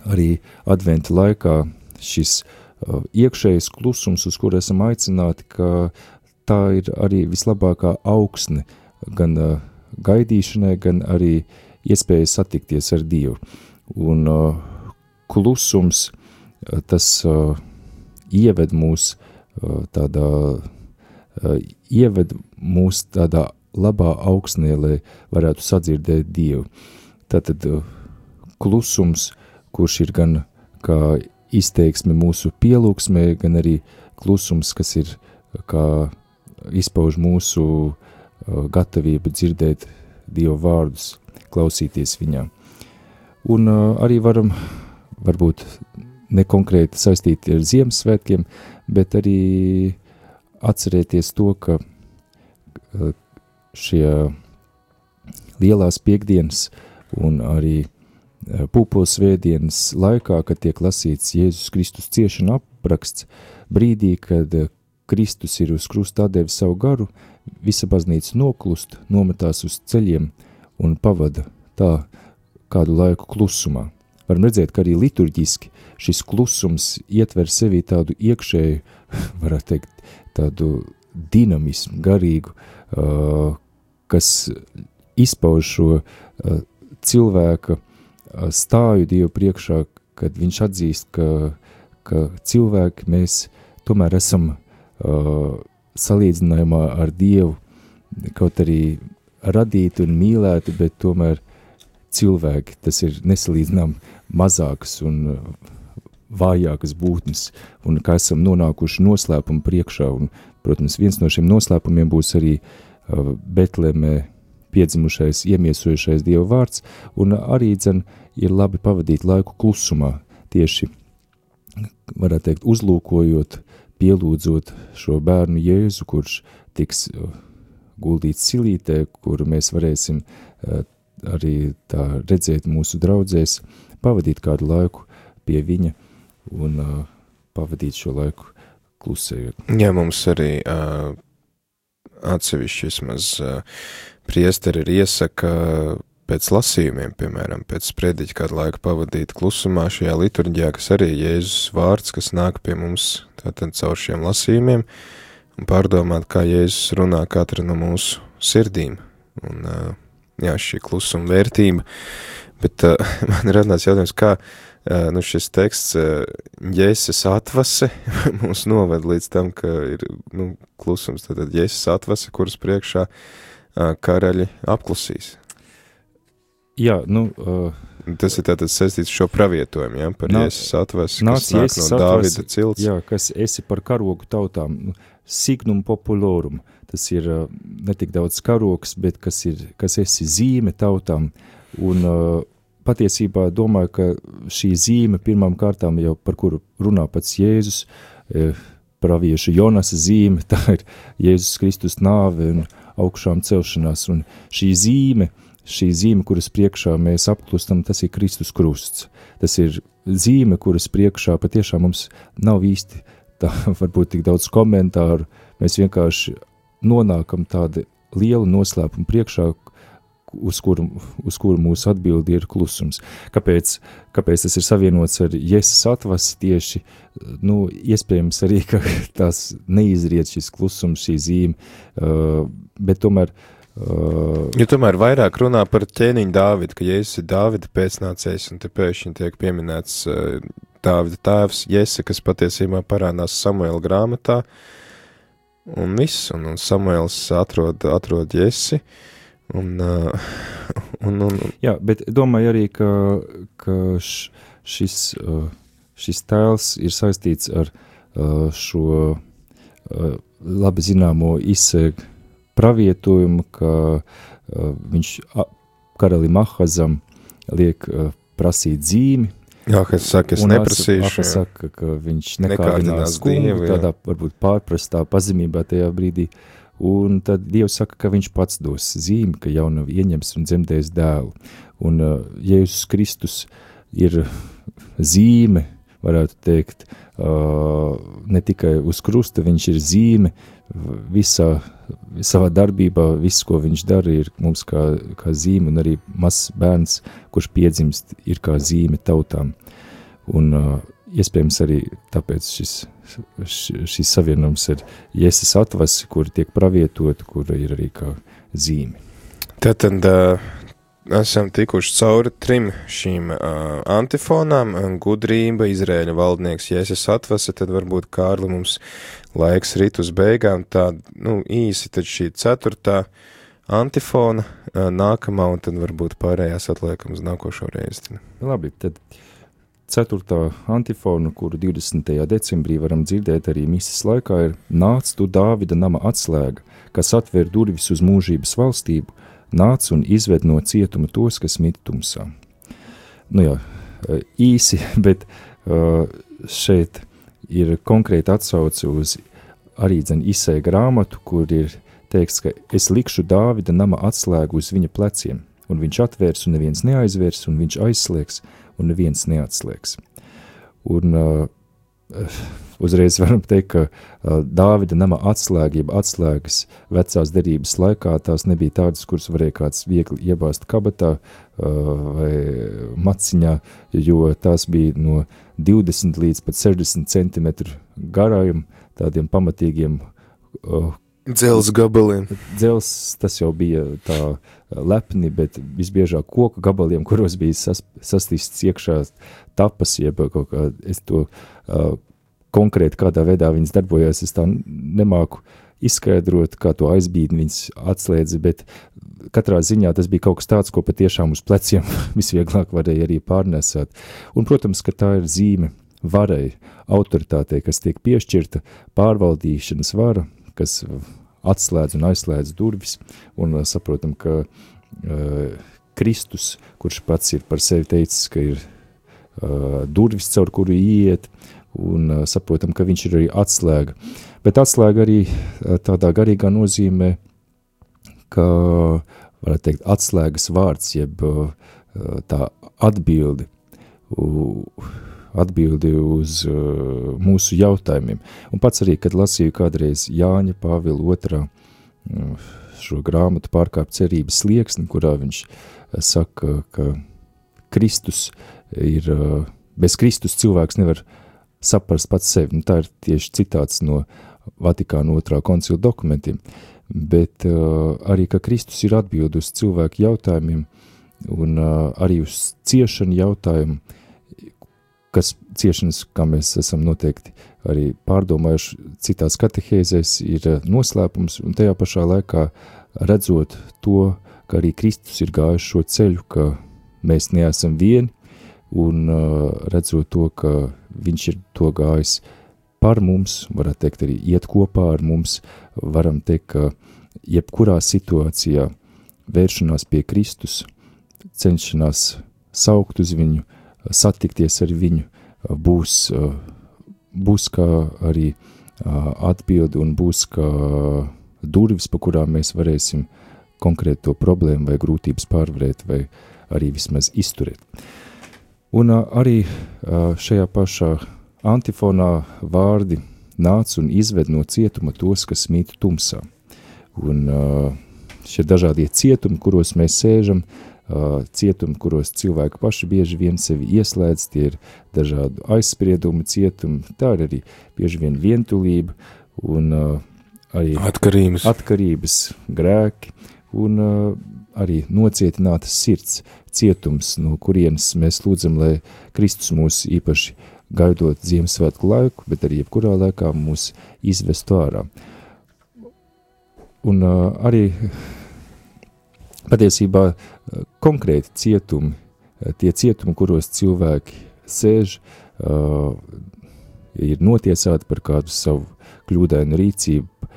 B: arī adventa laikā šis iekšējais klusums, uz kuru esam aicināti, ka tā ir arī vislabākā augsne gan gaidīšanai, gan arī iespēja satikties ar Dievu. Un klusums, tas ieved mūs tādā labā augsnē, lai varētu sadzirdēt Dievu. Tātad klusums, kurš ir gan kā izteiksme mūsu pielūgsmē, gan arī klusums, kas ir kā izpauž mūsu gatavību dzirdēt Dieva vārdus, klausīties viņā. Un arī varam, varbūt nekonkrēti saistīti ar Ziemassvētkiem, bet arī atcerēties to, ka šie lielās piekdienas un arī pūpolsvētdienas laikā, kad tiek lasīts Jēzus Kristus ciešana apraksts, brīdī, kad Kristus ir uz krusta atdevis savu garu, visa baznīca noklust, nometās uz ceļiem un pavada tā kādu laiku klusumā. Varam redzēt, ka arī liturģiski šis klusums ietver sevī tādu iekšēju, varētu teikt, tādu dinamismu, garīgu, kas izpauž šo cilvēka stāju Dievu priekšā, kad viņš atzīst, ka cilvēki mēs tomēr esam salīdzinājumā ar Dievu, kaut arī radīti un mīlēti, bet tomēr cilvēki, tas ir nesalīdzinām mazākas un vājākas būtnes, un kā esam nonākuši noslēpumu priekšā, un, protams, viens no šiem noslēpumiem būs arī Betlemē piedzimušais, iemiesojušais Dieva vārds, un arī ir labi pavadīt laiku klusumā, tieši, varētu teikt, uzlūkojot, pielūdzot šo bērnu Jēzu, kurš tiks guldīts silītē, kuru mēs varēsim arī tā redzēt mūsu draudzēs, pavadīt kādu laiku pie viņa un pavadīt šo laiku klusējot.
A: Jā, mums arī atsevišķi vismaz priesteri ir iesaka pēc lasījumiem, piemēram, pēc sprediķa kādu laiku pavadīt klusumā šajā liturģijā, kas arī Jēzus vārds, kas nāk pie mums tātad caur šiem lasījumiem, un pārdomāt, kā Jēzus runā katra no mūsu sirdīm. Un, jā, šī klusuma vērtība, bet man radās jautājums, kā šis teksts Jēzus atvase mūs noved līdz tam, ka ir klusums, tātad Jēzus atvase, kuras priekšā karaļi apklusīs.
B: Jā,
A: tas ir tātad saistīts šo pravietojumu, jā, par Jēzus atvasi, kas nāk no Dāvida cilts.
B: Jā, kas esi par karogu tautām, signum populorum, tas ir ne tik daudz karogs, bet kas esi zīme tautām, un patiesībā domāju, ka šī zīme pirmām kārtām jau par kuru runā pats Jēzus, pravieša Jonasa zīme, tā ir Jēzus Kristus nāve un augšām celšanās, un šī zīme, kuras priekšā mēs apklustam, tas ir Kristus krusts. Tas ir zīme, kuras priekšā patiešām mums nav īsti tā, varbūt tik daudz komentāru, mēs vienkārši nonākam tādu lielu noslēpumu priekšā, uz kuru mūsu atbildi ir klusums. Kāpēc tas ir savienots ar Jēzus atvasi tieši, iespējams arī, ka tās neizriet šis klusums, šī zīme, bet tomēr
A: jo tomēr vairāk runā par ķēniņu Dāvidu, ka Jēzus ir Dāvida pēcnācējs, un te pēkšņi tiek pieminēts Dāvida tēvs Jese, kas patiesībā parādās Samuela grāmatā, un viss, un Samuels atrod Jesi, un
B: Jā, bet domāju arī, ka šis tēls ir saistīts ar šo labi zināmo izsēgu pravietojumu, ka viņš karalim Ahazam liek prasīt zīmi.
A: Ahaz saka, es neprasīšu.
B: Ahaz saka, ka viņš nekārdinās kungu, tādā varbūt pārprastā pazemībā tajā brīdī. Un tad Dievs saka, ka viņš pats dos zīmi, ka jaunavi ieņems un dzemdēs dēlu. Un Jēzus Kristus ir zīme, varētu teikt, ne tikai uz krusta, viņš ir zīme savā darbībā, viss, ko viņš dara, ir mums kā zīme, un arī mazs bērns, kurš piedzimst, ir kā zīme tautām. Un iespējams arī tāpēc šis savienums ar Jēzus atvasi, kur tiek pravietot, kur ir arī kā zīme.
A: Tātad esam tikuši cauri 3 šīm antifonām, gudrība, Izraēļa valdnieks Jēzus atvase, tad varbūt, Kārli, mums laiks rit uz beigām, tā, īsi tad šī 4. antifona nākamā, un tad varbūt pārējās atliekam uz nākošo reizi.
B: Labi, tad 4. antifona, kuru 20. decembrī varam dzirdēt arī mises laikā, ir: Nāc tu Dāvida nama atslēga, kas atver durvis uz mūžības valstību, nāc un izved no cietuma tos, kas mit tumsā. Nu jā, īsi, bet šeit ir konkrēti atsauce uz arī Isēja grāmatu, kur ir teikts, ka es likšu Dāvida nama atslēgu uz viņa pleciem, un viņš atvērs, un neviens neaizvērs, un viņš aizslēgs, un neviens neatslēgs. Un uzreiz varam teikt, ka Dāvida nama atslēga, jeb atslēgas vecās derības laikā, tās nebija tādas, kuras varēja kāds viegli iebāzt kabatā vai maciņā, jo tās bija no 20 līdz pat 60 centimetru garājuma, tādiem pamatīgiem
A: Dzels gabaliem.
B: Dzels, tas jau bija tā lepni, bet visbiežāk koku gabaliem, kuros bija sastīsts iekšā tapas, jeb kaut kā, es to konkrēti kādā veidā viņas darbojās, es tā nemāku izskaidrot, kā to aizbīdni viņas atslēdzi, bet katrā ziņā tas bija kaut kas tāds, ko patiešām uz pleciem visvieglāk varēja arī pārnēsāt. Un, protams, ka tā ir zīme varai, autoritātei, kas tiek piešķirta, pārvaldīšanas vara, kas atslēdz un aizslēdz durvis, un saprotam, ka Kristus, kurš pats ir par sevi teicis, ka ir durvis, caur kuru iet, un saprotam, ka viņš ir arī atslēga. Bet atslēga arī tādā garīgā nozīmē, ka, varētu teikt, atslēgas vārds, jeb tā atbildi uz mūsu jautājumiem. Un pats arī, kad lasīju kādreiz Jāņa Pāvila 2. Šo grāmatu Pārkāpt cerības slieksni, kurā viņš saka, ka Kristus ir, bez Kristus cilvēks nevar saprast pats sevi. Tā ir tieši citāts no Vatikāna 2. koncila dokumentiem. Bet arī, ka Kristus ir atbild uz cilvēku jautājumiem un arī uz ciešanu jautājumu, kas ciešanas, kā mēs esam noteikti arī pārdomājuši citās katehēzēs, ir noslēpums, un tajā pašā laikā redzot to, ka arī Kristus ir gājis šo ceļu, ka mēs neesam vieni, un redzot to, ka viņš ir to gājis par mums, varētu teikt arī iet kopā ar mums, varam teikt, ka jebkurā situācijā vēršanās pie Kristus, cenšanās saukt uz viņu, satikties ar viņu, būs kā arī atbildi un būs kā durvis, pa kurām mēs varēsim konkrēti to problēmu vai grūtības pārvarēt vai arī vismaz izturēt. Un arī šajā pašā antifonā vārdi nāc un izved no cietuma tos, kas mīt tumsā. Un šie dažādie cietumi, kuros mēs sēžam, cietumi, kuros cilvēki paši bieži vien sevi ieslēdz, tie ir dažādu aizspriedumu cietumi, tā ir arī bieži vien vientulība un arī atkarības grēki un arī nocietinātas sirds cietums, no kurienes mēs lūdzam, lai Kristus mūs īpaši gaidot Ziemassvētku laiku, bet arī jebkurā laikā mūs izvestu ārā. Un arī patiesībā konkrēti cietumi, tie cietumi, kuros cilvēki sēž, ir notiesāti par kādu savu kļūdainu rīcību,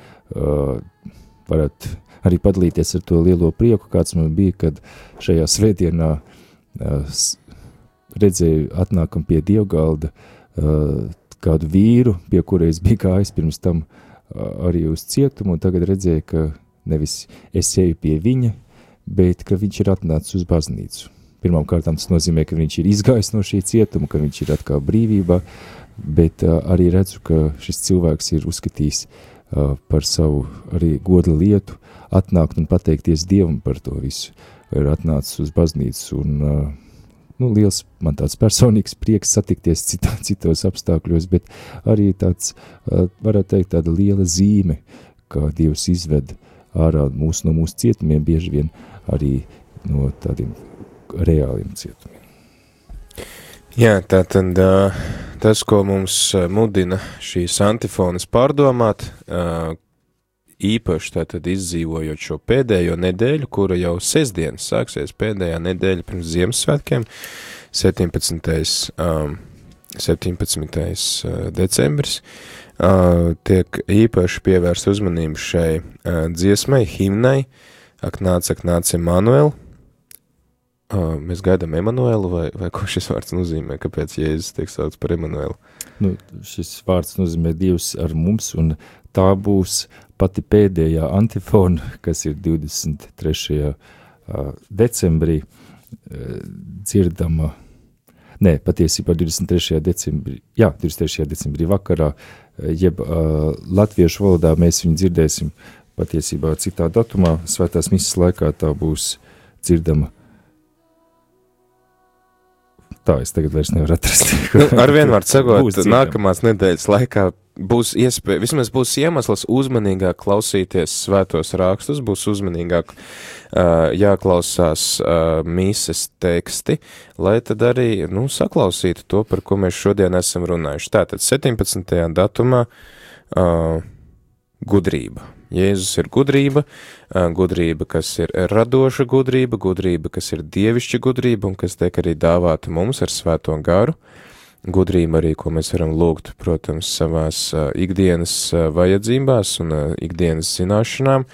B: varat arī padalīties ar to lielo prieku, kāds man bija, kad šajā svētdienā redzēju atnākam pie dievgalda kādu vīru, pie kura es biju gājis pirms tam arī uz cietumu, un tagad redzēju, ka nevis es eju pie viņa, bet ka viņš ir atnācis uz baznīcu. Pirmām kārtām tas nozīmē, ka viņš ir izgājis no šī cietuma, ka viņš ir atkal brīvībā, bet arī redzu, ka šis cilvēks ir uzskatījis par savu arī goda lietu, atnākt un pateikties Dievam par to visu, ir atnācis uz baznīcu, un liels man tāds personīgs prieks satikties citos apstākļos, bet arī tāds, varētu teikt, tāda liela zīme, kā Dievs izved ārā no mūsu cietumiem, bieži vien arī no tādiem reāliem cietumiem.
A: Jā, tātad tas, ko mums mudina šīs antifonas pārdomāt, īpaši tātad izdzīvojot šo pēdējo nedēļu, kura jau sestdien sāksies pēdējā nedēļa pirms Ziemassvētkiem, 17. Decembris, tiek īpaši pievērst uzmanību šai dziesmai, himnai, Ak nāc, Emanuel. Mēs gaidām Emanuelu, vai ko šis vārds nozīmē? Kāpēc Jēzus tiek saukts par Emanuelu?
B: Nu, šis vārds nozīmē Dievs ar mums, un tā būs pati pēdējā antifona, kas ir 23. Decembrī dzirdama. Nē, patiesībā 23. decembrī vakarā, jeb latviešu valodā mēs viņu dzirdēsim patiesībā citā datumā, svētās misas laikā tā būs dzirdama. Tā, es tagad vairs nevaru atrast.
A: Ar vienvārdu sakot, nākamās nedēļas laikā būs iespēja, vismaz būs iemesls uzmanīgāk klausīties svētos rakstus, būs uzmanīgāk jāklausās mīses teksti, lai tad arī, saklausītu to, par ko mēs šodien esam runājuši. Tātad 17. datumā gudrība. Jēzus ir gudrība, gudrība, kas ir radoša gudrība, gudrība, kas ir dievišķa gudrība un kas tiek arī dāvāta mums ar svēto garu. Gudrība arī, ko mēs varam lūgt, protams, savās ikdienas vajadzībās un ikdienas zināšanām.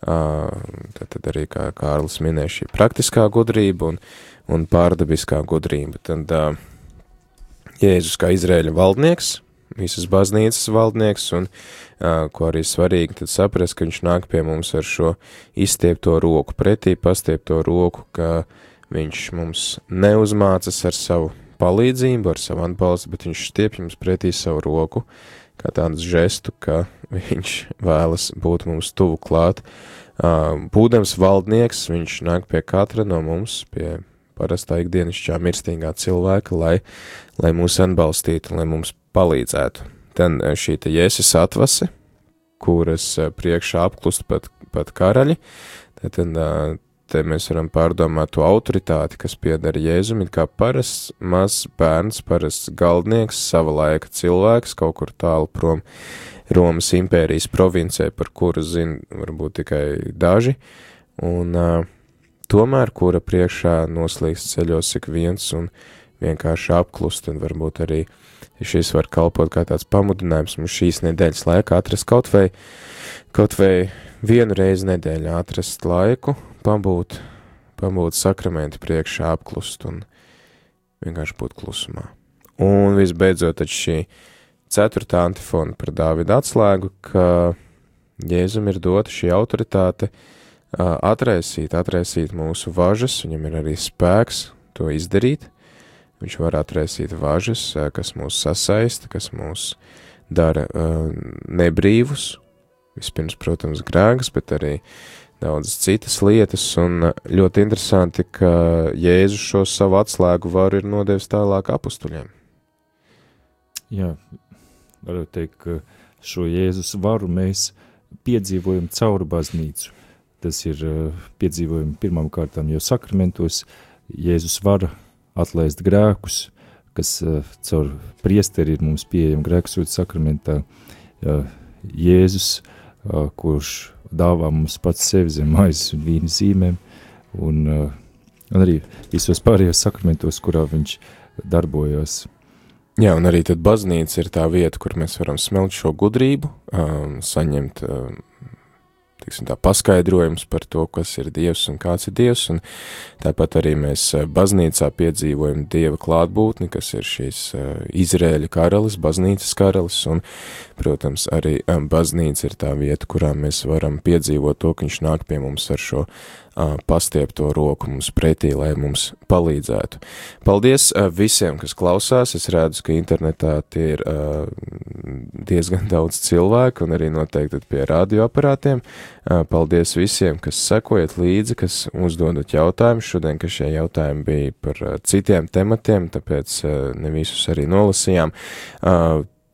A: Tad arī, kā Kārlis minēja, šī praktiskā gudrība un pārdabiskā gudrība. Tad Jēzus kā Izraēļa valdnieks, visas baznīcas valdnieks, un ko arī svarīgi tad saprast, ka viņš nāk pie mums ar šo izstiepto roku, pretī pastiepto roku, ka viņš mums neuzmācas ar savu palīdzību, ar savu atbalstu, bet viņš stiep jums pretī savu roku, kā tādu žestu, ka viņš vēlas būt mums tuvu klāt. Būdams valdnieks, viņš nāk pie katra no mums, pie parastā ikdienišķā mirstīgā cilvēka, lai mūs atbalstītu, lai mums palīdzētu. Tad šī te Jēzus atvase, kuras priekšā apklust pat karaļi, tad te mēs varam pārdomāt to autoritāti, kas pieder Jēzum, it kā parasts mazs bērns, parasts galdnieks, sava laika cilvēks, kaut kur tālu prom Romas impērijas provincē, par kuru zina varbūt tikai daži, un tomēr, kura priekšā noslīgst ceļos ik viens un vienkārši apklust, un varbūt arī šis var kalpot kā tāds pamudinājums mums šīs nedēļas laikā atrast kaut vai vienu reizi nedēļā atrast laiku, pabūt sakramenti priekšā apklust un vienkārši būt klusumā. Un visbeidzot, tad šī 4. antifona par Dāvida atslēgu, ka Jēzum ir dota šī autoritāte atraisīt mūsu važas, viņam ir arī spēks to izdarīt. Viņš var atraisīt važas, kas mūs sasaista, kas mūs dara nebrīvus. Vispirms, protams, grēkas, bet arī daudzas citas lietas. Un ļoti interesanti, ka Jēzus šo savu atslēgu varu ir nodevis tālāk apustuļiem.
B: Jā, varu teikt, ka šo Jēzus varu mēs piedzīvojam caur baznīcu. Tas ir piedzīvojumi pirmām kārtām jau sakramentos. Jēzus vara atlaist grēkus, kas caur priesteri ir mums pieejama grēksūdzes sakramentā. Jēzus, kurš dāvā mums pats sevi zem maizes un vīna zīmēm, un arī visos pārējos sakramentos, kurā viņš darbojās.
A: Jā, un arī tad baznīca ir tā vieta, kur mēs varam smelt šo gudrību, saņemt paskaidrojums par to, kas ir Dievs un kāds ir Dievs, un tāpat arī mēs baznīcā piedzīvojam Dieva klātbūtni, kas ir šīs Izraēļa karalis, baznīcas karalis, un, protams, arī baznīca ir tā vieta, kurā mēs varam piedzīvot to, ka viņš nāk pie mums ar šo pastiepto roku mums pretī, lai mums palīdzētu. Paldies visiem, kas klausās. Es redzu, ka internetā tie ir diezgan daudz cilvēku un arī noteikti pie radioaparātiem. Paldies visiem, kas sekojat līdzi, kas uzdodat jautājumus. Šodien, ka šie jautājumi bija par citiem tematiem, tāpēc ne visus arī nolasījām.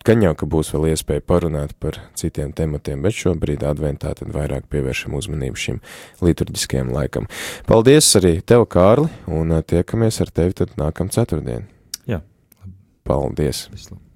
A: Gan jau, ka būs vēl iespēja parunāt par citiem tematiem, bet šobrīd adventā tad vairāk pievēršam uzmanību šim liturģiskajam laikam. Paldies arī tev, Kārli, un tiekamies ar tevi tad nākam ceturtdien.
B: Jā.
A: Paldies.
B: Vislabāk.